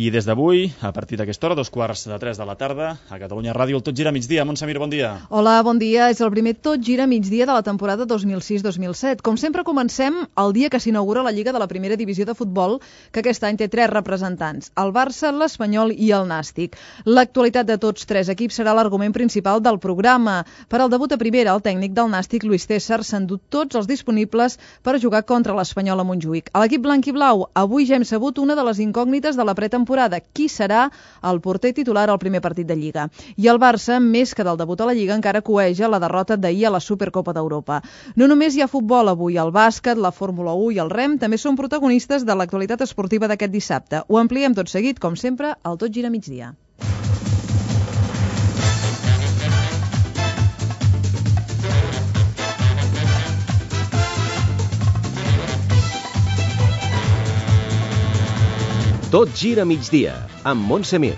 I des d'avui, a partir d'aquesta hora, 2:45 de la tarda, a Catalunya Ràdio, el Tot Gira Migdia. Montse Mir, bon dia. Hola, bon dia. És el primer Tot Gira Migdia de la temporada 2006-2007. Com sempre, comencem el dia que s'inaugura la Lliga de la Primera Divisió de Futbol, que aquest any té 3 representants, el Barça, l'Espanyol i el Nàstic. L'actualitat de tots 3 equips serà l'argument principal del programa. Per al debut a primera, el tècnic del Nàstic, Luis César, s'ha endut tots els disponibles per jugar contra l'Espanyol a Montjuïc. A l'equip blanc i blau, avui ja hem sabut una de les incògnites de la pretemporada. Qui serà el porter titular al primer partit de Lliga? I el Barça, més que del debut a la Lliga, encara coeja la derrota d'ahir a la Supercopa d'Europa. No només hi ha futbol avui, el bàsquet, la Fórmula 1 i el rem també són protagonistes de l'actualitat esportiva d'aquest dissabte. Ho ampliem tot seguit, com sempre, al Tot Gira Migdia. Tot gira migdia, amb Montse Mir.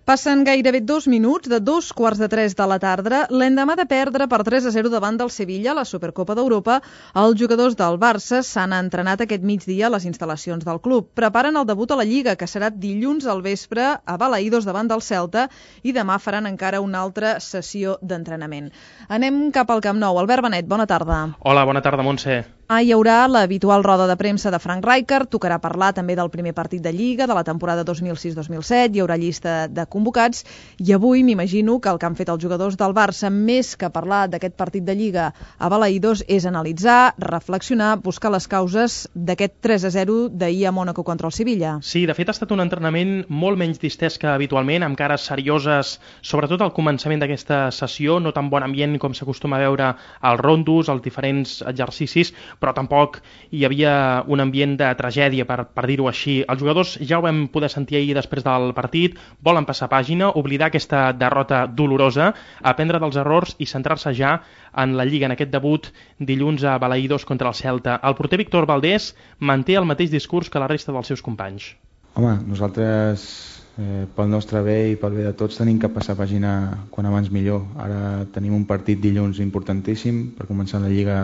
Passen gairebé 2 minuts de 2:45 de la tarda. L'endemà de perdre per 3-0 davant del Sevilla a la Supercopa d'Europa, els jugadors del Barça s'han entrenat aquest migdia a les instal·lacions del club. Preparen el debut a la Lliga, que serà dilluns al vespre a Balaïdos davant del Celta, i demà faran encara una altra sessió d'entrenament. Anem cap al Camp Nou. Albert Benet, bona tarda. Hola, bona tarda, Montse. Hi haurà l'habitual roda de premsa de Frank Rijkaard, tocarà parlar també del primer partit de Lliga, de la temporada 2006-2007, hi haurà llista de convocats, i avui m'imagino que el que han fet els jugadors del Barça, més que parlar d'aquest partit de Lliga a Balaïdos, és analitzar, reflexionar, buscar les causes d'aquest 3-0 d'ahir a Mònaco contra el Sevilla. Sí, de fet ha estat un entrenament molt menys distès que habitualment, amb cares serioses, sobretot al començament d'aquesta sessió, no tan bon ambient com s'acostuma a veure als rondos, als diferents exercicis, però tampoc hi havia un ambient de tragèdia, per dir-ho així. Els jugadors ja ho vam poder sentir ahir després del partit, volen passar pàgina, oblidar aquesta derrota dolorosa, aprendre dels errors i centrar-se ja en la Lliga, en aquest debut dilluns a Balaïdos contra el Celta. El porter Víctor Valdés manté el mateix discurs que la resta dels seus companys. Home, nosaltres pel nostre bé i pel bé de tots tenim que passar pàgina quan abans millor. Ara tenim un partit dilluns importantíssim per començar la Lliga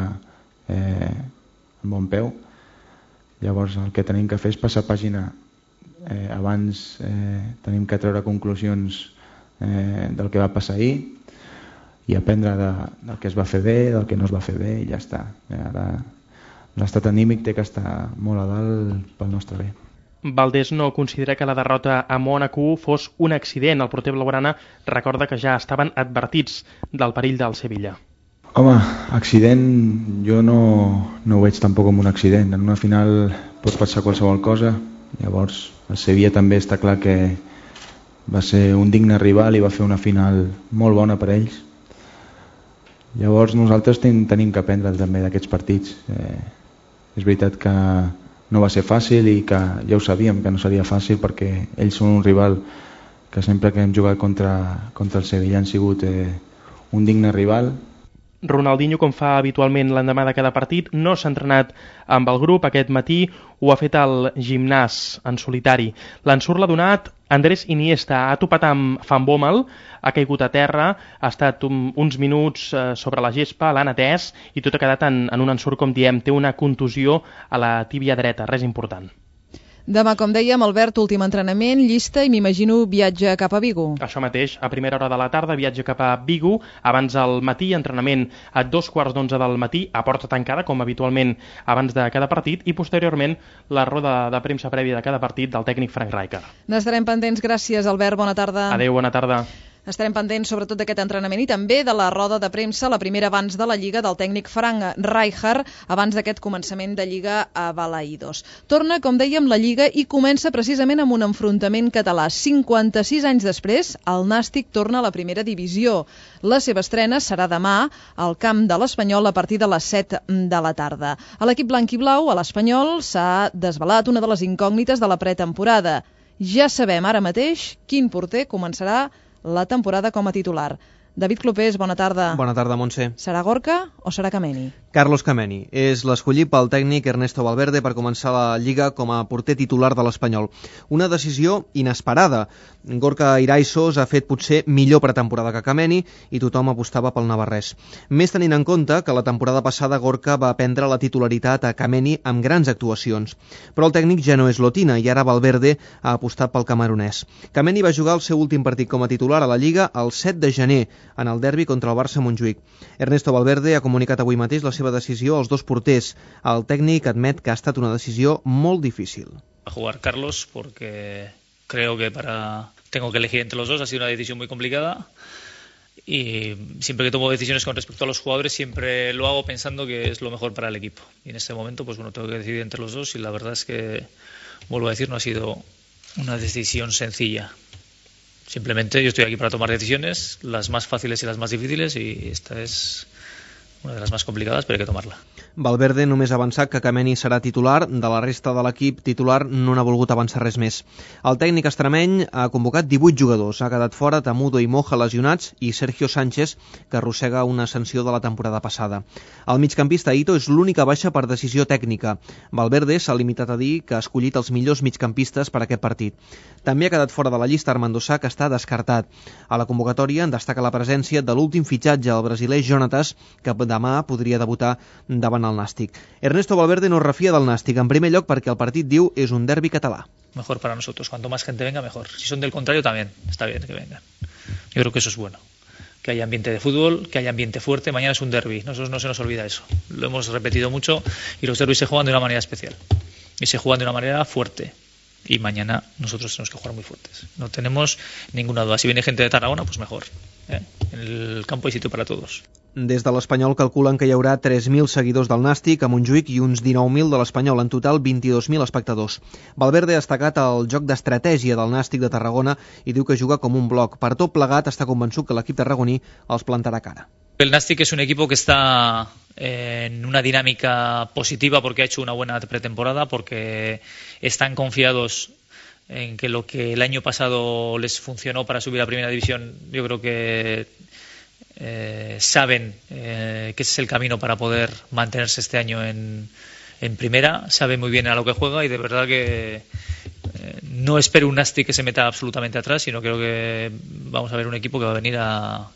amb bon peu. Llavors el que tenim que fer és passar pàgina. Abans tenim que treure conclusions del que va passar ahir i aprendre del que es va fer bé, del que no es va fer bé, i ja està. Ara l'estat anímic té que estar molt a dalt pel nostre bé. Valdés no considera que la derrota a Mònaco fos un accident. El porter blaugrana recorda que ja estaven advertits del perill del Sevilla. Home, accident jo no ho veig tampoc com un accident. En una final pot passar qualsevol cosa. Llavors el Sevilla també està clar que va ser un digne rival i va fer una final molt bona per ells. Llavors nosaltres tenim que aprendre també d'aquests partits. És veritat que no va ser fàcil i que ja ho sabíem que no seria fàcil, perquè ells són un rival que sempre que hem jugat contra el Sevilla han sigut un digne rival. Ronaldinho, com fa habitualment l'endemà de cada partit, no s'ha entrenat amb el grup. Aquest matí ho ha fet al gimnàs en solitari. L'ensurt l'ha donat Andrés Iniesta. Ha topat amb Van Bommel, ha caigut a terra, ha estat uns minuts sobre la gespa, l'han atès i tot ha quedat en un ensurt, com diem. Té una contusió a la tíbia dreta, res important. Demà, com dèiem, Albert, últim entrenament, llista i m'imagino viatge cap a Vigo. Això mateix, a primera hora de la tarda, viatge cap a Vigo, abans al matí, entrenament a 2:15 del matí, a porta tancada, com habitualment abans de cada partit, i posteriorment la roda de premsa prèvia de cada partit del tècnic Frank Rijkaard. N'estarem pendents. Gràcies, Albert, bona tarda. Adéu, bona tarda. Estarem pendents sobretot d'aquest entrenament i també de la roda de premsa, la primera abans de la Lliga, del tècnic Frank Rijkaard, abans d'aquest començament de Lliga a Balaïdos. Torna, com dèiem, la Lliga i comença precisament amb un enfrontament català. 56 anys després, el Nàstic torna a la primera divisió. La seva estrena serà demà al camp de l'Espanyol a partir de les 7 de la tarda. A l'equip blanc i blau, a l'Espanyol, s'ha desvelat una de les incògnites de la pretemporada. Ja sabem ara mateix quin porter començarà la temporada com a titular. David Clopés, bona tarda. Bona tarda, Montse. Serà Gorka o serà Kameni? Carlos Kameni és l'escollit pel tècnic Ernesto Valverde per començar la Lliga com a porter titular de l'Espanyol. Una decisió inesperada. Gorka Iraisos ha fet potser millor pretemporada que Kameni i tothom apostava pel navarrès. Més tenint en compte que la temporada passada Gorka va prendre la titularitat a Kameni amb grans actuacions. Però el tècnic ja no és Lotina i ara Valverde ha apostat pel camerunès. Kameni va jugar el seu últim partit com a titular a la Lliga el 7 de gener en el derbi contra el Barça Montjuïc. Ernesto Valverde ha comunicat avui mateix la seva decisió als dos porters. El tècnic admet que ha estat una decisió molt difícil. A jugar Carlos porque creo que tengo que elegir entre los dos, ha sido una decisión muy complicada y siempre que tomo decisiones con respecto a los jugadores siempre lo hago pensando que es lo mejor para el equipo y en este momento pues bueno, tengo que decidir entre los dos y la verdad es que, vuelvo a decir, no ha sido una decisión sencilla. Simplemente yo estoy aquí para tomar decisiones, las más fáciles y las más difíciles, y esta es una de las más complicadas, pero hay que tomarla. Valverde només ha avançat que Kameni serà titular, de la resta de l'equip titular no n'ha volgut avançar res més. El tècnic extremeny ha convocat 18 jugadors, ha quedat fora Tamudo i Moja lesionats i Sergio Sánchez, que arrossega una sanció de la temporada passada. El migcampista Ito és l'única baixa per decisió tècnica. Valverde s'ha limitat a dir que ha escollit els millors migcampistes per a aquest partit. També ha quedat fora de la llista Armando Sá, que està descartat. A la convocatòria en destaca la presència de l'últim fitxatge, el brasiler Jonatas, que demà podria debutar davant el Nàstic. Ernesto Valverde no es refia del Nàstic, en primer lloc perquè el partit, diu, és un derbi català. Mejor para nosotros, cuanto más gente venga mejor. Si son del contrario también, está bien que vengan. Yo creo que eso es bueno. Que haya ambiente de fútbol, que haya ambiente fuerte. Mañana es un derbi, nosotros no se nos olvida eso. Lo hemos repetido mucho y los derbis se juegan de una manera especial. Y se juegan de una manera fuerte. Y mañana nosotros tenemos que jugar muy fuertes. No tenemos ninguna duda. Si viene gente de Tarragona, pues mejor. En el campo hay sitio para todos. Des de l'Espanyol calculen que hi haurà 3.000 seguidors del Nàstic a Montjuïc i uns 19.000 de l'Espanyol, en total 22.000 espectadors. Valverde ha destacat el joc d'estratègia del Nàstic de Tarragona i diu que juga com un bloc. Per tot plegat està convençut que l'equip tarragoní els plantarà cara. El Nàstic es un equipo que está en una dinámica positiva porque ha hecho una buena pretemporada, porque están confiados en que lo que el año pasado les funcionó para subir a Primera División, yo creo que saben que ese es el camino para poder mantenerse este año en Primera, saben muy bien a lo que juega y de verdad que no espero un Nàstic que se meta absolutamente atrás, sino creo que vamos a ver un equipo que va a venir a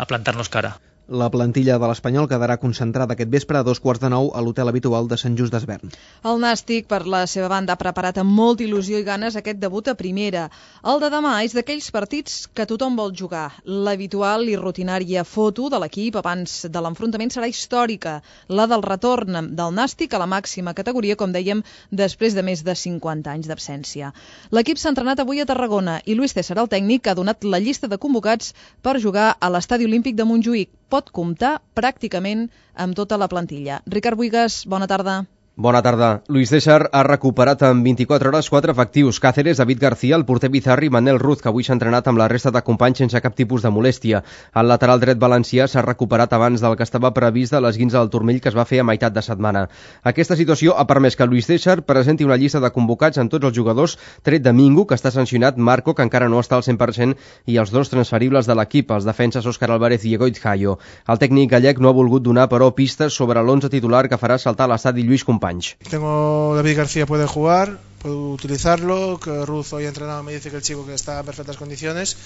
plantarnos cara. La plantilla de l'Espanyol quedarà concentrada aquest vespre a 8:45 a l'hotel habitual de Sant Just d'Esvern. El Nàstic, per la seva banda, ha preparat amb molta il·lusió i ganes aquest debut a Primera. El de demà és d'aquells partits que tothom vol jugar. L'habitual i rutinària foto de l'equip abans de l'enfrontament serà històrica, la del retorn del Nàstic a la màxima categoria, com dèiem, després de més de 50 anys d'absència. L'equip s'ha entrenat avui a Tarragona i Luis César, el tècnic, ha donat la llista de convocats per jugar a l'Estadi Olímpic de Montjuïc. Pot comptar pràcticament amb tota la plantilla. Ricard Buigas, bona tarda. Bona tarda. Luis César ha recuperat en 24 hores 4 efectius: Cáceres, David García, el porter Bizarri i Manel Ruz, que avui s'ha entrenat amb la resta de companys sense cap tipus de molèstia. El lateral dret valencià s'ha recuperat abans del que estava previst de l'esguince del turmell que es va fer a meitat de setmana. Aquesta situació ha permès que Luis César presenti una llista de convocats amb tots els jugadors, tret de Mingo, que està sancionat, Marco, que encara no està al 100%, i els dos transferibles de l'equip, els defenses Óscar Álvarez i Egoit Jayo. El tècnic gallec no ha volgut donar, però, pistes sobre l'11 titular que farà saltar l'estadi Lluís Companys. Tengo David García, puede jugar, puedo utilizarlo, que Ruz hoy ha entrenado, me dice que el chico que está en perfectas condiciones,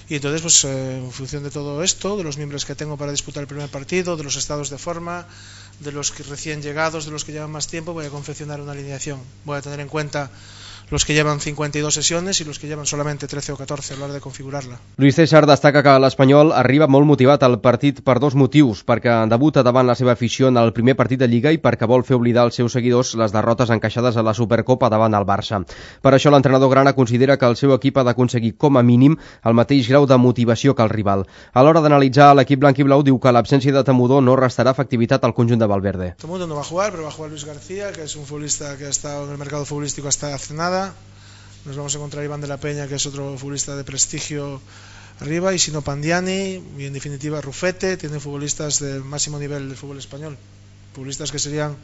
y entonces pues en función de todo esto, de los miembros que tengo para disputar el primer partido, de los estados de forma, de los que recién llegados, de los que llevan más tiempo, voy a confeccionar una alineación. Voy a tener en cuenta los que llevan 52 sesiones y los que llevan solamente 13 o 14 a l'hora de configurarla. Luis César destaca que l'Espanyol arriba molt motivat al partit per dos motius: perquè debuta davant la seva afició en el primer partit de Lliga i perquè vol fer oblidar als seus seguidors les derrotes encaixades a la Supercopa davant el Barça. Per això l'entrenador grana considera que el seu equip ha d'aconseguir com a mínim el mateix grau de motivació que el rival. A l'hora d'analitzar l'equip blanc i blau, diu que l'absència de Tamudo no restarà efectivitat al conjunt de Valverde. Tamudo no va a jugar, pero va a jugar Luis García, que es un futbolista que ha estado en el mercado futbolístico hasta hace nada. Nos vamos a encontrar Iván de la Peña, que es otro futbolista de prestigio arriba, y si no Pandiani, y en definitiva Rufete. Tiene futbolistas de máximo nivel del fútbol español, futbolistas que serían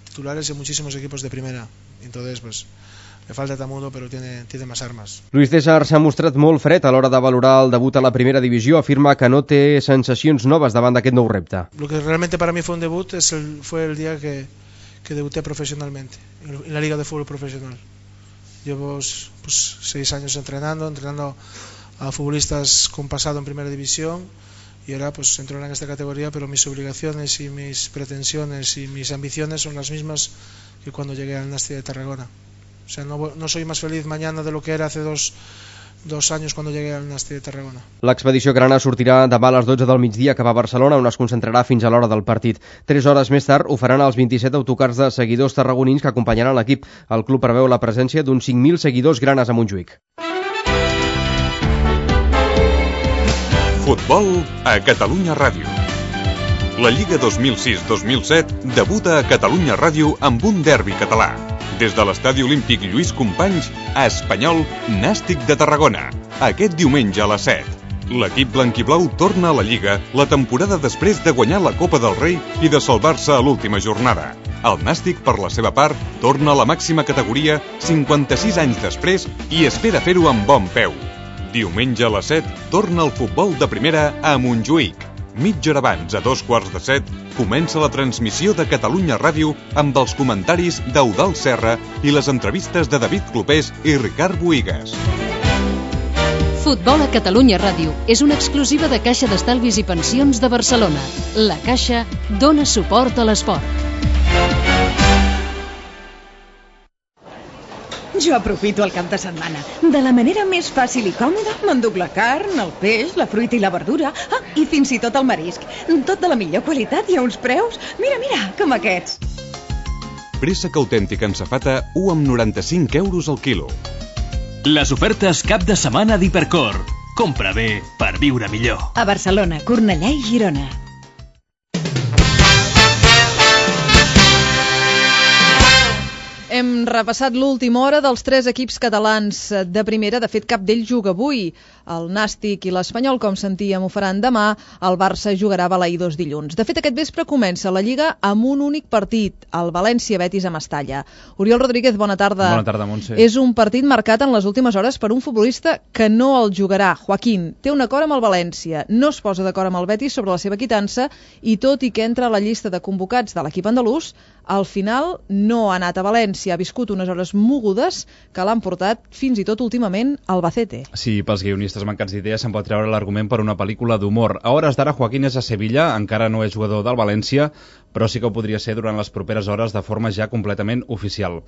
titulares en muchísimos equipos de primera. Entonces pues Le falta Tamudo, pero tiene más armas. Luis César s'ha mostrat molt fred a l'hora de valorar el debut a la primera divisió. Afirma que no té sensacions noves davant d'aquest nou repte. Lo que realmente para mí fue un debut fue el día que debuté profesionalmente en la Liga de Fútbol Profesional. Llevo 6 años entrenando a futbolistas con pasado en primera división y ahora pues entro en esta categoría, pero mis obligaciones y mis pretensiones y mis ambiciones son las mismas que cuando llegué al Nasti de Tarragona. O sea, no soy más feliz mañana de lo que era hace dos años cuando llegué al Nasti de Tarragona. L'expedició grana sortirà demà a les 12 del migdia cap a Barcelona, on es concentrarà fins a l'hora del partit. 3 hores més tard ho faran els 27 autocars de seguidors tarragonins que acompanyaran l'equip. El club preveu la presència d'uns 5.000 seguidors granes a Montjuïc. Futbol a Catalunya Ràdio. La Lliga 2006-2007 debuta a Catalunya Ràdio amb un derbi català. Des de l'Estadi Olímpic Lluís Companys, a Espanyol, Nàstic de Tarragona. Aquest diumenge a les 7. L'equip blanquiblau torna a la Lliga la temporada després de guanyar la Copa del Rei i de salvar-se a l'última jornada. El Nàstic, per la seva part, torna a la màxima categoria 56 anys després i espera fer-ho amb bon peu. Diumenge a les 7 torna el futbol de primera a Montjuïc. Mitja hora abans, a 7:15, comença la transmissió de Catalunya Ràdio amb els comentaris d'Eudald Serra i les entrevistes de David Clopés i Ricard Bohigas. Futbol a Catalunya Ràdio és una exclusiva de Caixa d'Estalvis i Pensions de Barcelona. La Caixa dona suport a l'esport. Jo aprofito el cap de setmana. De la manera més fàcil i còmoda, m'enduc la carn, el peix, la fruita i la verdura, i fins i tot el marisc. Tot de la millor qualitat i a uns preus, mira, com aquests. Préssec autèntic en safata, 1,95 € al quilo. Les ofertes cap de setmana d'Hipercor. Compra bé per viure millor. A Barcelona, Cornellà i Girona. Hem repassat l'última hora dels 3 equips catalans de primera. De fet, cap d'ells juga avui. El Nàstic i l'Espanyol, com sentíem, ho faran demà. El Barça jugarà a Balaïdos dilluns. De fet, aquest vespre comença la Lliga amb un únic partit, el València-Betis a Mestalla. Oriol Rodríguez, bona tarda. Bona tarda, Montse. És un partit marcat en les últimes hores per un futbolista que no el jugarà. Joaquín té un acord amb el València, no es posa d'acord amb el Betis sobre la seva quitança i tot i que entra a la llista de convocats de l'equip andalús, al final no ha anat a València, ha viscut unes hores mogudes que l'han portat fins i tot últimament al Albacete. Sí, pels guionistes mancats d'idees se'n pot treure l'argument per una pel·lícula d'humor. A hores d'ara Joaquín és a Sevilla, encara no és jugador del València, però sí que ho podria ser durant les properes hores de forma ja completament oficial.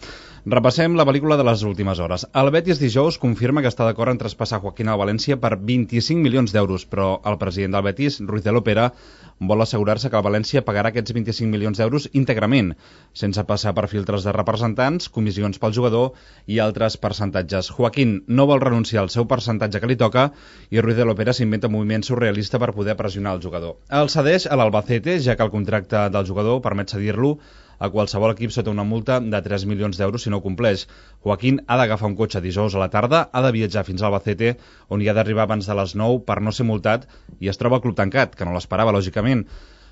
Repassem la pel·lícula de les últimes hores. El Betis dijous confirma que està d'acord en traspassar Joaquín al València per 25 milions d'euros, però el president del Betis, Ruiz de Lopera, vol assegurar-se que el València pagarà aquests 25 milions d'euros íntegrament, sense passar per filtres de representants, comissions pel jugador i altres percentatges. Joaquín no vol renunciar al seu percentatge que li toca i Ruiz de Lopera s'inventa un moviment surrealista per poder pressionar el jugador. El cedeix a l'Albacete, ja que el contracte del jugador permet cedir-lo a qualsevol equip sota una multa de 3 milions d'euros si no ho compleix. Joaquín ha d'agafar un cotxe dijous a la tarda, ha de viatjar fins a Albacete, on hi ha d'arribar abans de les 9 per no ser multat, i es troba al club tancat, que no l'esperava, lògicament.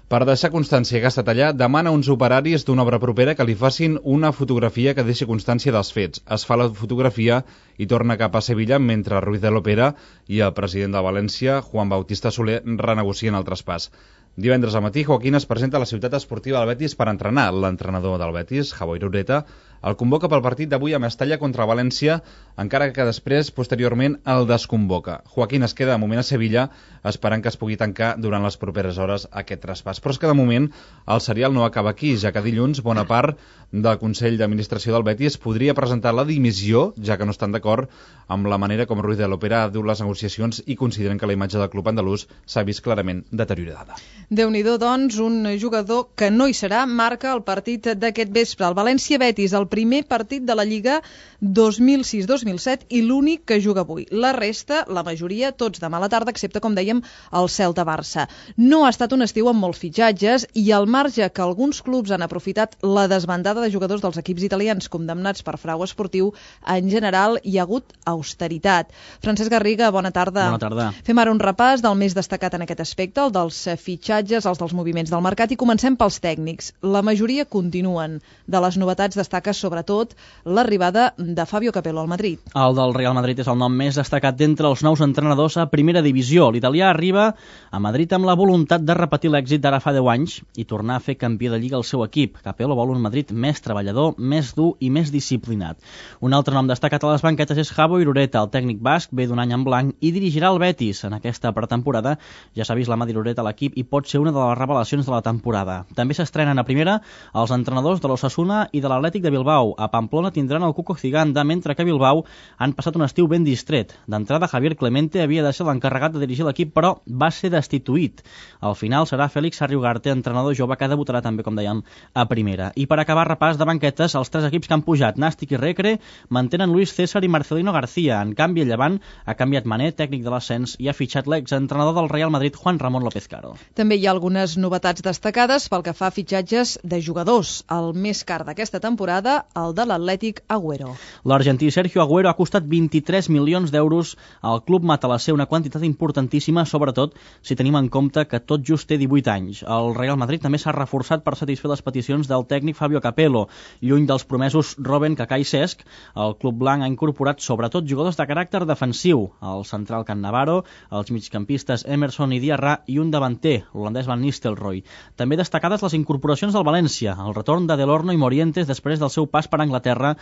Per deixar constància que ha estat allà, demana a uns operaris d'una obra propera que li facin una fotografia que deixi constància dels fets. Es fa la fotografia i torna cap a Sevilla mentre Ruiz de Lopera i el president de València, Juan Bautista Soler, renegocien el traspàs. Divendres al matí, Joaquín es presenta a la ciutat esportiva del Betis per entrenar. L'entrenador del Betis, Javier Ureta, el convoca pel partit d'avui a Mestalla contra València, encara que després, posteriorment, el desconvoca. Joaquín es queda de moment a Sevilla, esperant que es pugui tancar durant les properes hores aquest traspàs. Però és que de moment el serial no acaba aquí, ja que dilluns bona part del Consell d'Administració del Betis podria presentar la dimissió, ja que no estan d'acord amb la manera com Ruiz de Lopera ha dut les negociacions i consideren que la imatge del club andalús s'ha vist clarament deteriorada. Déu-n'hi-do, doncs, un jugador que no hi serà, marca el partit d'aquest vespre. El València-Betis, el primer partit de la Lliga 2006-2007 i l'únic que juga avui. La resta, la majoria, tots demà a la tarda, excepte, com dèiem, el Celta-Barça. No ha estat un estiu amb molts fitxatges i al marge que alguns clubs han aprofitat la desbandada de jugadors dels equips italians condemnats per frau esportiu, en general hi ha hagut austeritat. Francesc Garriga, bona tarda. Bona tarda. Fem ara un repàs del més destacat en aquest aspecte, el dels fitxatges, els dels moviments del mercat, i comencem pels tècnics. La majoria continuen. De les novetats destaca sobretot l'arribada de Fabio Capello al Madrid. El del Real Madrid és el nom més destacat d'entre els nous entrenadors a primera divisió. L'italià arriba a Madrid amb la voluntat de repetir l'èxit d'ara fa 10 anys i tornar a fer campió de Lliga al seu equip. Capello vol un Madrid més treballador, més dur i més disciplinat. Un altre nom destacat a les banquetes és Javo Irureta. El tècnic basc ve d'un any en blanc i dirigirà el Betis. En aquesta pretemporada ja s'ha vist la mà d'Irureta a l'equip i pot ser una de les revelacions de la temporada. També s'estrenen a primera els entrenadors de l'Osasuna i de l'Atlètic de Bilbao. A Pamplona tindran el Cuco Ciganda, mentre que a Bilbao han passat un estiu ben distret. D'entrada, Javier Clemente havia de ser l'encarregat de dirigir l'equip, però va ser destituït. Al final serà Félix Sarriugarte, entrenador jove que debutarà també, com dèiem, a primera. I per acabar repàs de banquetes, els 3 equips que han pujat, Nàstic i Recre, mantenen Luis César i Marcelino García. En canvi, el Llevant ha canviat Mané, tècnic de l'ascens, i ha fitxat l'exentrenador del Real Madrid, Juan Ramón López Caro. També hi ha algunes novetats destacades pel que fa a fitxatges de jugadors. El més car d'aquesta temporada, el de l'Atlètic Agüero. L'argentí Sergio Agüero ha costat 23 milions d'euros al club matalasser, una quantitat importantíssima, sobretot si tenim en compte que tot just té 18 anys. El Real Madrid també s'ha reforçat per satisfer les peticions del tècnic Fabio Capello. Lluny dels promesos Robben, Kaká i Cesc, el club blanc ha incorporat sobretot jugadors de caràcter defensiu, el central Cannavaro, els migcampistes Emerson i Diarra i un davanter, l'holandès Van Nistelrooy. També destacades les incorporacions del València, el retorn de Delorno i Morientes després del seu pas per Anglaterra,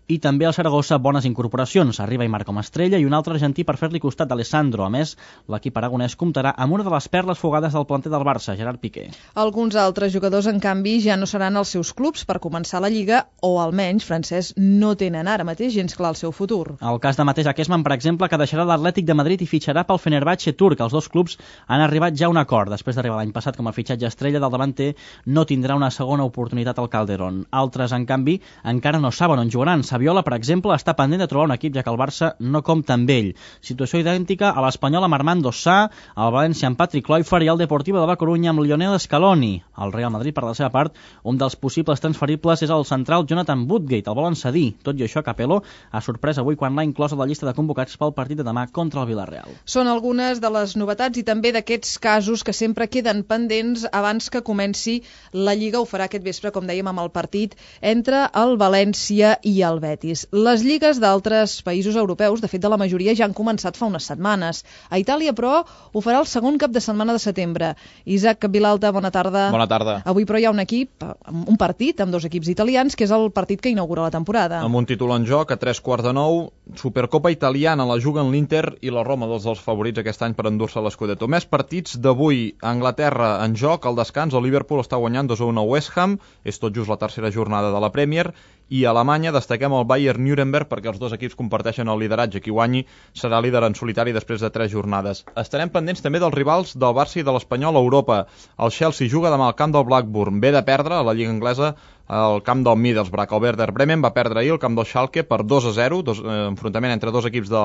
i també al Saragossa bones incorporacions. Arriba Aimar com a estrella i un altre argentí per fer-li costat d'Alessandro. A més, l'equip aragonès comptarà amb una de les perles fugades del planter del Barça, Gerard Piqué. Alguns altres jugadors, en canvi, ja no seran els seus clubs per començar la Lliga, o almenys, Francesc, no tenen ara mateix gens clar el seu futur. El cas de Matej Akesman, per exemple, que deixarà l'Atlètic de Madrid i fitxarà pel Fenerbahçe turc. Els dos clubs han arribat ja a un acord. Després d'arribar l'any passat com a fitxatge estrella del davanter, no tindrà una segona oportunitat al Calderón. Altres, en canvi, encara no saben on jugaran. Saviola, per exemple, està pendent de trobar un equip, ja que el Barça no compta amb ell. Situació idèntica a l'Espanyol amb Armando Sá, el València amb Patrick Kluivert i el Deportivo de la Coruña amb Lionel Scaloni. El Real Madrid, per la seva part, un dels possibles transferibles és el central Jonathan Woodgate. El volen cedir. Tot i això, Capello ha sorprès avui quan l'ha inclòs a la llista de convocats pel partit de demà contra el Villarreal. Són algunes de les novetats i també d'aquests casos que sempre queden pendents abans que comenci la Lliga. Ho farà aquest vespre, com dèiem, amb el partit entre el València i el Betis. Les lligues d'altres països europeus, de fet de la majoria, ja han començat fa unes setmanes. A Itàlia, però, ho farà el segon cap de setmana de setembre. Isaac Vilalta, bona tarda. Bona tarda. Avui, però, hi ha un partit amb dos equips italians, que és el partit que inaugura la temporada. Amb un títol en joc, a 3:45, Supercopa italiana, la juguen l'Inter i la Roma, dos dels favorits aquest any per endur-se l'Scudetto. Més partits d'avui. A Anglaterra, en joc, al descans, el Liverpool està guanyant 2-1 a West Ham, és tot just la tercera jornada de la Premier, i a Alemanya destaquem el Bayern Nuremberg perquè els dos equips comparteixen el lideratge. Qui guanyi serà líder en solitari després de 3 jornades. Estarem pendents també dels rivals del Barça i de l'Espanyol a Europa. El Chelsea juga demà al camp del Blackburn. Ve de perdre a la Lliga Anglesa al camp del Middlesbrough. El Werder Bremen va perdre ahir al camp del Schalke per 2-0, enfrontament entre dos equips de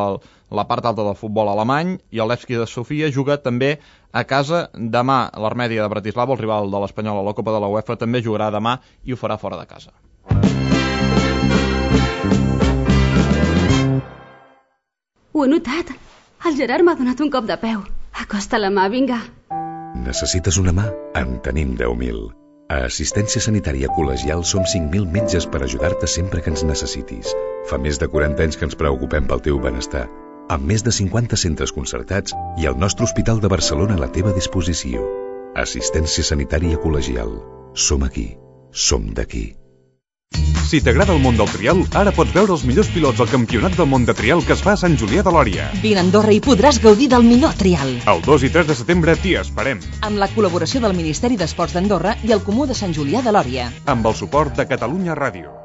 la part alta del futbol alemany, i el Levski de Sofia juga també a casa demà. L'Armèdia de Bratislava, el rival de l'Espanyol a la Copa de la UEFA, també jugarà demà i ho farà fora de casa. Ho he notat. El Gerard m'ha donat un cop de peu. Acosta la mà, vinga. Necessites una mà? En tenim 10.000. A Assistència Sanitària Col·legial som 5.000 metges per ajudar-te sempre que ens necessitis. Fa més de 40 anys que ens preocupem pel teu benestar. Amb més de 50 centres concertats i el nostre Hospital de Barcelona a la teva disposició. Assistència Sanitària Col·legial. Som aquí. Som d'aquí. Si t'agrada el món del trial, ara pots veure els millors pilots al Campionat del Món de Trial que es fa a Sant Julià de Lòria. Vine a Andorra i podràs gaudir del millor trial. El 2 i 3 de setembre t'hi esperem. Amb la col·laboració del Ministeri d'Esports d'Andorra i el Comú de Sant Julià de Lòria. Amb el suport de Catalunya Ràdio.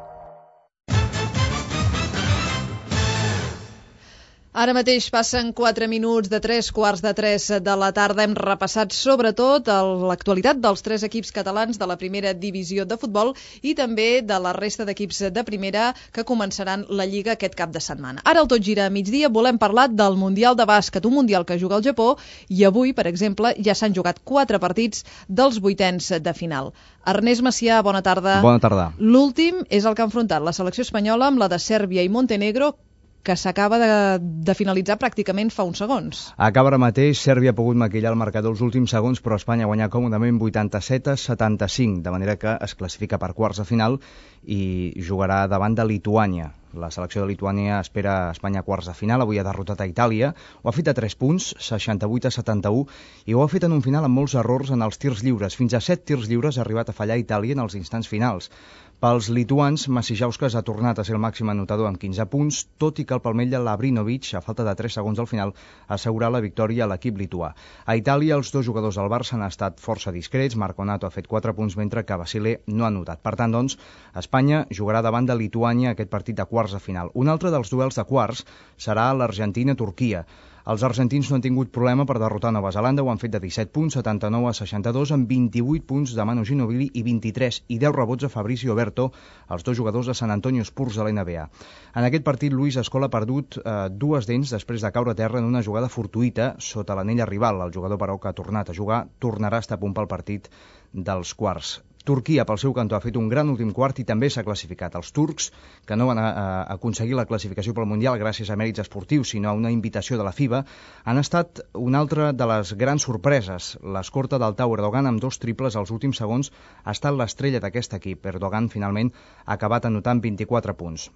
Ara mateix passen 4 minuts de 3:15 de la tarda. Hem repassat sobretot l'actualitat dels 3 equips catalans de la primera divisió de futbol i també de la resta d'equips de primera que començaran la Lliga aquest cap de setmana. Ara al Tot Gira a migdia volem parlar del Mundial de Bàsquet, un Mundial que juga al Japó, i avui, per exemple, ja s'han jugat 4 partits dels 8ens de final. Ernest Macià, bona tarda. Bona tarda. L'últim és el que ha enfrontat la selecció espanyola amb la de Sèrbia i Montenegro. que s'acaba de finalitzar pràcticament fa uns segons. Acaba ara mateix, Sèrbia ha pogut maquillar el marcador els últims segons, però Espanya ha guanyat còmodament 87-75, de manera que es classifica per quarts de final i jugarà davant de Lituània. La selecció de Lituània espera Espanya a quarts de final, avui ha derrotat a Itàlia, ho ha fet a 3 punts, 68-71, i ho ha fet en un final amb molts errors en els tirs lliures. Fins a 7 tirs lliures ha arribat a fallar Itàlia en els instants finals. Pels lituans, Macijauskas ha tornat a ser el màxim anotador amb 15 punts, tot i que el palmell de Lavrinovic, a falta de 3 segons al final, ha assegurat la victòria a l'equip lituà. A Itàlia, els dos jugadors del Barça han estat força discrets, Marconato ha fet 4 punts, mentre que Basile no ha anotat. Per tant, doncs, Espanya jugarà davant de Lituània aquest partit de quarts de final. Un altre dels duels de quarts serà l'Argentina-Turquia. Els argentins no han tingut problema per derrotar Nova Zelanda, ho han fet de 17 punts, 79-62, amb 28 punts de Manu Ginóbili i 23 i 10 rebots a Fabrizio Oberto, els dos jugadors de San Antonio Spurs de l'NBA. En aquest partit, Luis Scola ha perdut 2 dents després de caure a terra en una jugada fortuïta sota l'anella rival. El jugador, però, que ha tornat a jugar, tornarà a estar a punt pel partit dels quarts. Turquia, pel seu cantó, ha fet un gran últim quart i també s'ha classificat. Els turcs, que no van aconseguir la classificació pel Mundial gràcies a mèrits esportius, sinó a una invitació de la FIBA, han estat una altra de les grans sorpreses. L'escorta del Tau Erdogan, amb 2 triples als últims segons, ha estat l'estrella d'aquest equip. Erdogan, finalment, ha acabat anotant 24 punts.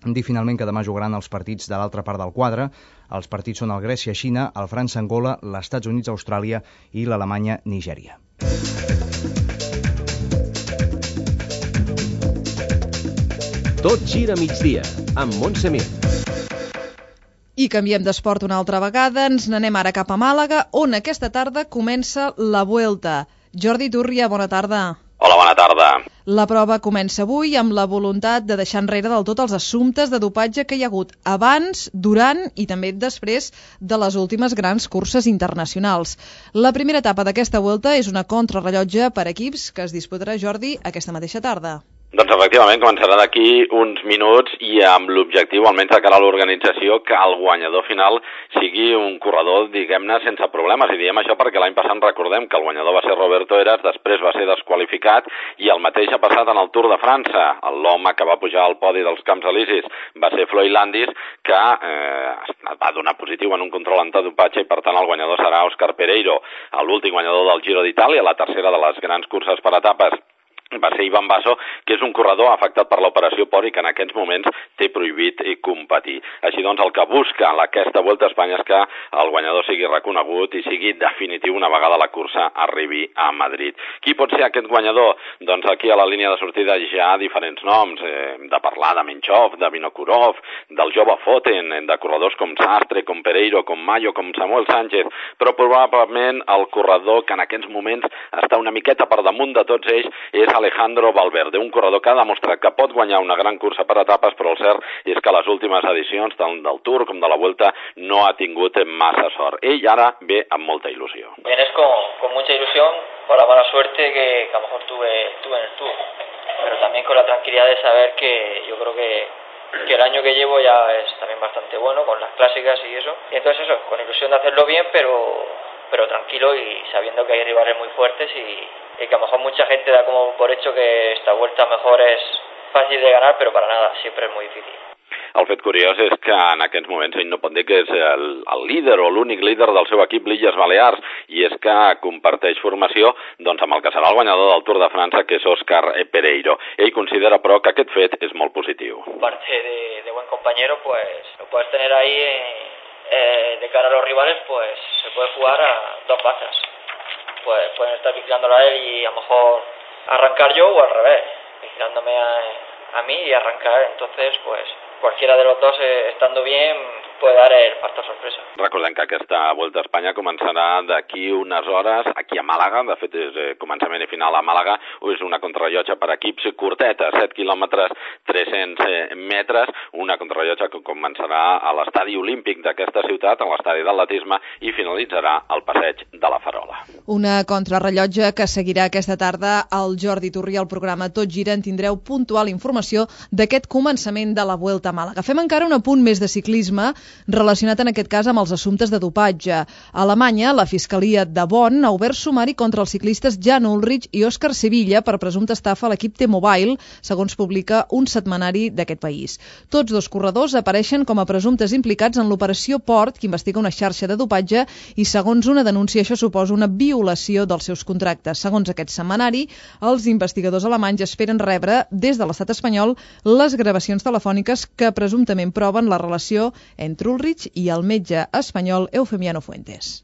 Dir finalment que demà jugaran els partits de l'altra part del quadre. Els partits són el Grècia-Xina, el França-Angola, l'Estats Units-Austràlia i l'Alemanya-Nigèria. Tot gira migdia, amb Montse Mir. I canviem d'esport una altra vegada, ens n'anem ara cap a Màlaga, on aquesta tarda comença la Vuelta. Jordi Turria, bona tarda. Hola, bona tarda. La prova comença avui amb la voluntat de deixar enrere del tot els assumptes de dopatge que hi ha hagut abans, durant i també després de les últimes grans curses internacionals. La primera etapa d'aquesta Vuelta és una contrarrellotge per equips que es disputarà, Jordi, aquesta mateixa tarda. Doncs efectivament començarà d'aquí uns minuts i amb l'objectiu, almenys de cara a l'organització, que el guanyador final sigui un corredor, diguem-ne, sense problemes. I diem això perquè l'any passat recordem que el guanyador va ser Roberto Heras, després va ser desqualificat i el mateix ha passat en el Tour de França. L'home que va pujar al podi dels Camps Elisis va ser Floyd Landis, que va donar positiu en un control antidopatge i per tant el guanyador serà Òscar Pereiro. L'últim guanyador del Giro d'Itàlia, la tercera de les grans curses per etapes, va ser Ivan Basso, que és un corredor afectat per l'operació Pori, que en aquests moments té prohibit competir. Així doncs, el que busca aquesta Volta a Espanya és que el guanyador sigui reconegut i sigui definitiu una vegada la cursa arribi a Madrid. Qui pot ser aquest guanyador? Doncs aquí a la línia de sortida hi ha diferents noms, de parlar de Menchov, de Vinokurov, del jove Foten, de corredors com Sastre, com Pereiro, com Mayo, com Samuel Sánchez, però probablement el corredor que en aquests moments està una miqueta per damunt de tots ells és Alejandro Valverde, un corredor que ha demostrat que pot guanyar una gran cursa per etapes, però el cert és que les últimes edicions, tant del Tour com de la Vuelta, no ha tingut massa sort. Ell ara ve amb molta ilusió. Vienes con mucha ilusión por la mala suerte que a lo mejor tuve en el Tour, pero también con la tranquilidad de saber que yo creo que el año que llevo ya es también bastante bueno, con las clásicas y eso. Y entonces eso, con ilusión de hacerlo bien, pero tranquilo y sabiendo que hay rivales muy fuertes y que a lo mejor mucha gente da como por hecho que esta vuelta a lo mejor es fácil de ganar, pero para nada, siempre es muy difícil. El fet curiós és que en aquests moments ell no pot dir que és el líder o l'únic líder del seu equip l'Illes Balears, i és que comparteix formació doncs, amb el que serà el guanyador del Tour de França, que és Òscar Pereiro. Ell considera, però, que aquest fet és molt positiu. Aparte de buen compañero, pues lo puedes tener ahí de cara a los rivales, pues se puede jugar a 2 bazas. Pues pueden estar vigilándola a él y a lo mejor arrancar yo o al revés, vigilándome a mí y arrancar. Entonces, pues cualquiera de los dos estando bien puede dar el factor sorpresa. Recordem que aquesta Volta a Espanya començarà d'aquí unes hores aquí a Màlaga, de fet és començament i final a Màlaga, és una contrarrellotge per equips curteta, 7 quilòmetres, 300 metres, una contrarrellotge que començarà a l'estadi olímpic d'aquesta ciutat, a l'estadi d'atletisme, i finalitzarà al passeig de la Farola. Una contrarrellotge que seguirà aquesta tarda al Jordi Turria. Al programa Tot Gira en tindreu puntual informació d'aquest començament de la Vuelta a Màlaga. Fem encara un apunt més de ciclisme, relacionat en aquest cas amb els assumptes de dopatge. A Alemanya, la Fiscalia de Bonn ha obert sumari contra els ciclistes Jan Ullrich i Òscar Sevilla per presumpta estafa a l'equip T-Mobile, segons publica un setmanari d'aquest país. Tots dos corredors apareixen com a presumptes implicats en l'operació Port, que investiga una xarxa de dopatge, i segons una denúncia això suposa una violació dels seus contractes. Segons aquest setmanari, els investigadors alemanys esperen rebre des de l'estat espanyol les gravacions telefòniques que presumptament proven la relació entre Ullrich i el metge espanyol Eufemiano Fuentes.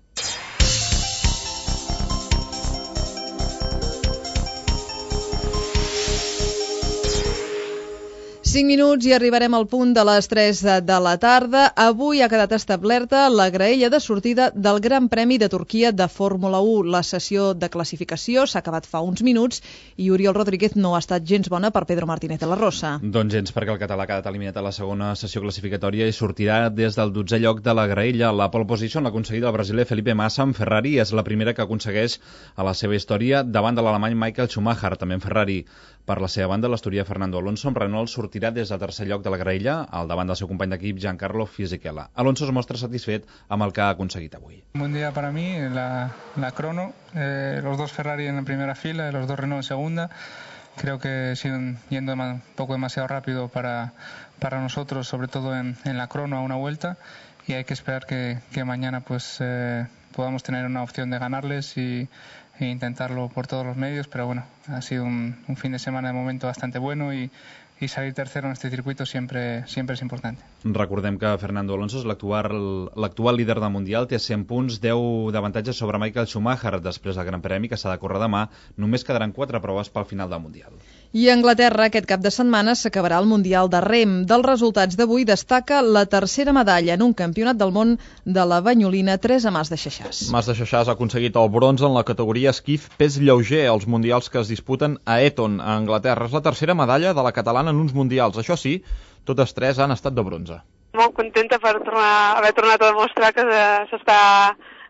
5 minuts i arribarem al punt de les 3 de la tarda. Avui ha quedat establerta la graella de sortida del Gran Premi de Turquia de Fórmula 1. La sessió de classificació s'ha acabat fa uns minuts i Oriol Rodríguez no ha estat gens bona per Pedro Martínez de la Rosa. Doncs gens, perquè el català ha quedat eliminat a la segona sessió classificatòria i sortirà des del 12è lloc de la graella. La pole position l'ha aconseguit el brasiler Felipe Massa amb Ferrari i és la primera que aconsegueix a la seva història davant de l'alemany Michael Schumacher, també en Ferrari. Per la seva banda, l'asturià Fernando Alonso amb Renault sortirà des del tercer lloc de la graella, al davant del seu company d'equip Giancarlo Fisichella. Alonso es mostra satisfet amb el que ha aconseguit avui. Un buen día para mí, la crono, los dos Ferrari en la primera fila, los dos Renault en segunda. Creo que siguen yendo un poco demasiado rápido para nosotros, sobre todo en la crono a una vuelta, y hay que esperar que mañana pues podamos tener una opción de ganarles e intentarlo por todos los medios, pero bueno, ha sido un fin de semana de momento bastante bueno y salir tercero en este circuito siempre es importante. Recordem que Fernando Alonso és l'actual líder del Mundial, té 100 punts, 10 d'avantatge sobre Michael Schumacher després del Gran Premi que s'ha de córrer demà. Només quedaran 4 proves pel final del Mundial. I a Anglaterra aquest cap de setmana s'acabarà el Mundial de Rem. Dels resultats d'avui destaca la tercera medalla en un campionat del món de la banyolina Teresa Mas de Xaixàs. Mas de Xaixàs ha aconseguit el bronze en la categoria esquif pes lleuger als mundials que es disputen a Eton, a Anglaterra. És la tercera medalla de la catalana en uns mundials. Això sí, totes 3 han estat de bronze. Molt contenta per haver tornat a demostrar que s'està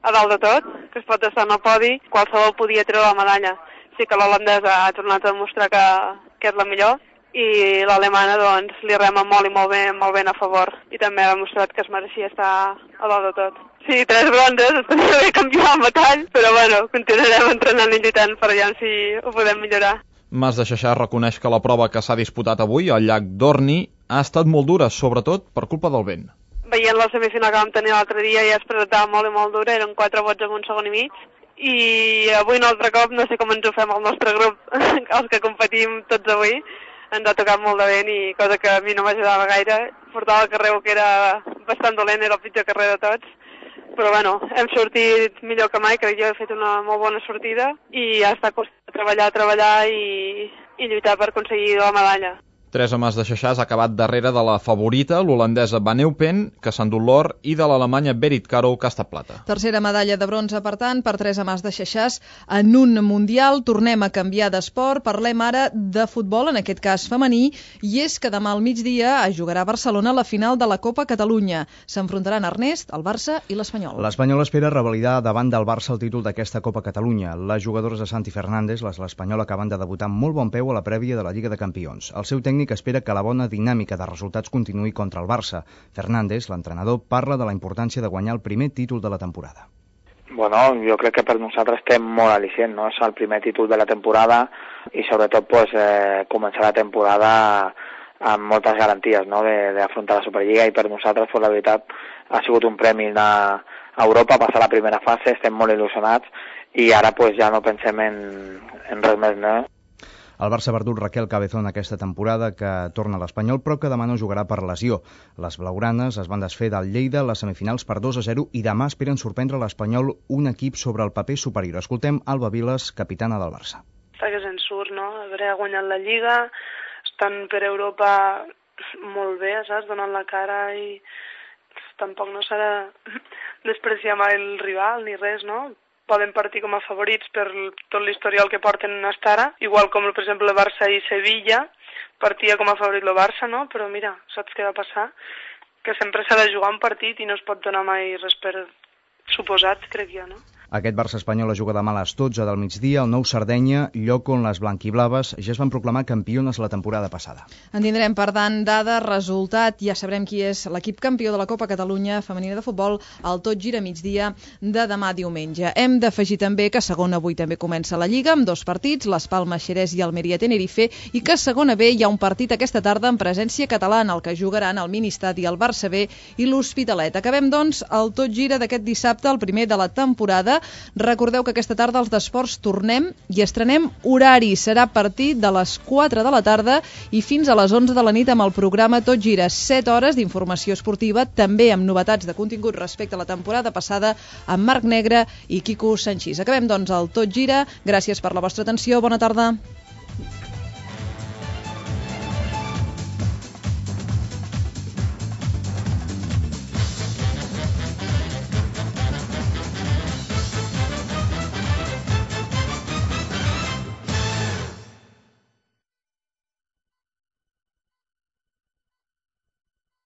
a dalt de tot, que es pot estar en el podi, qualsevol podia treure la medalla. Sí que l'holandesa ha tornat a demostrar que és la millor i l'alemana doncs li rema molt i molt ben a favor i també ha demostrat que es mereixia estar a dalt de tot. Sí, 3 bronzes, estaria bé canviar el metall, però bueno, continuarem entrenant i lluitant per allà si ho podem millorar. Mas de Xaixàs reconeix que la prova que s'ha disputat avui al llac Dorni ha estat molt dura, sobretot per culpa del vent. Veient la semifinal que vam tenir l'altre dia ja es presentava molt i molt dura, eren 4 vots en un segon i mig, i avui un altre cop no sé com ens ho fem al nostre grup, els que competim tots avui, ens ha tocat molt de vent i cosa que a mi no m'ajudava gaire. Portava el carrer que era bastant dolent, era el pitjor carrer de tots. Però bueno, hem sortit millor que mai, crec que jo he fet una molt bona sortida i ha estat treballar i lluitar per aconseguir la medalla. Teresa Mas de Xaixàs ha acabat darrere de la favorita, l'holandesa Van Eupen, que s'ha endut l'or, i de l'alemanya Berit Caro, que ha estat plata. Tercera medalla de bronze, per tant, per Teresa Mas de Xaixàs en un mundial. Tornem a canviar d'esport, parlem ara de futbol, en aquest cas femení, i és que demà al migdia es jugarà a Barcelona la final de la Copa Catalunya. S'enfrontaran Ernest, el Barça i l'Espanyol. L'Espanyol espera revalidar davant del Barça el títol d'aquesta Copa Catalunya. Les jugadores de Santi Fernández, les de l'Espanyol, acaben de debutar amb molt bon peu a la prèvia de la Lliga de Campions. El seu tècnic espera que la bona dinàmica de resultats continuï contra el Barça. Fernández, l'entrenador, parla de la importància de guanyar el primer títol de la temporada. Bueno, jo crec que per nosaltres estem molt al·licient, no? És el primer títol de la temporada i sobretot pues, començar la temporada amb moltes garanties, no? d'afrontar la Superliga, i per nosaltres pues, la veritat ha sigut un premi a Europa, passar la primera fase, estem molt il·lusionats i ara pues, ja no pensem en res més, no? El Barça ha perdut Raquel Cabezón aquesta temporada, que torna a l'Espanyol, però que demà no jugarà per lesió. Les blaugranes es van desfer del Lleida a les semifinals per 2-0 i demà esperen sorprendre l'Espanyol, un equip sobre el paper superior. Escoltem Alba Viles, capitana del Barça. Està que se'n surt, no? Haver guanyat la Lliga, estan per Europa molt bé, saps? Donant la cara i tampoc no s'ha de despreciar mai el rival ni res, no? Poden partir com a favorits per tot l'historial que porten fins ara, igual com, per exemple, el Barça i Sevilla, partia com a favorit el Barça, no? Però mira, saps què va passar? Que sempre s'ha de jugar un partit i no es pot donar mai res per suposat, crec jo, no? Aquest Barça espanyol es juga demà a les 12 del migdia, el Nou Sardenya, lloc on les blanquiblaves ja es van proclamar campiones la temporada passada. En tindrem, per tant, dades, resultat, ja sabrem qui és l'equip campió de la Copa Catalunya femenina de futbol al Tot Gira migdia de demà diumenge. Hem d'afegir també que segona avui també comença la Lliga amb 2 partits, Las Palmas Xerès i Almeria Tenerife, i que a segona B hi ha un partit aquesta tarda en presència catalana, el que jugaran el Ministadi, el Barça B i l'Hospitalet. Acabem, doncs, el Tot Gira d'aquest dissabte, el primer de la temporada. Recordeu que aquesta tarda als d'Esports tornem i estrenem horari. Serà a partir de les 4 de la tarda i fins a les 11 de la nit amb el programa Tot Gira. 7 hores d'informació esportiva, també amb novetats de contingut respecte a la temporada passada, amb Marc Negre i Quico Sanchís. Acabem, doncs, el Tot Gira. Gràcies per la vostra atenció. Bona tarda.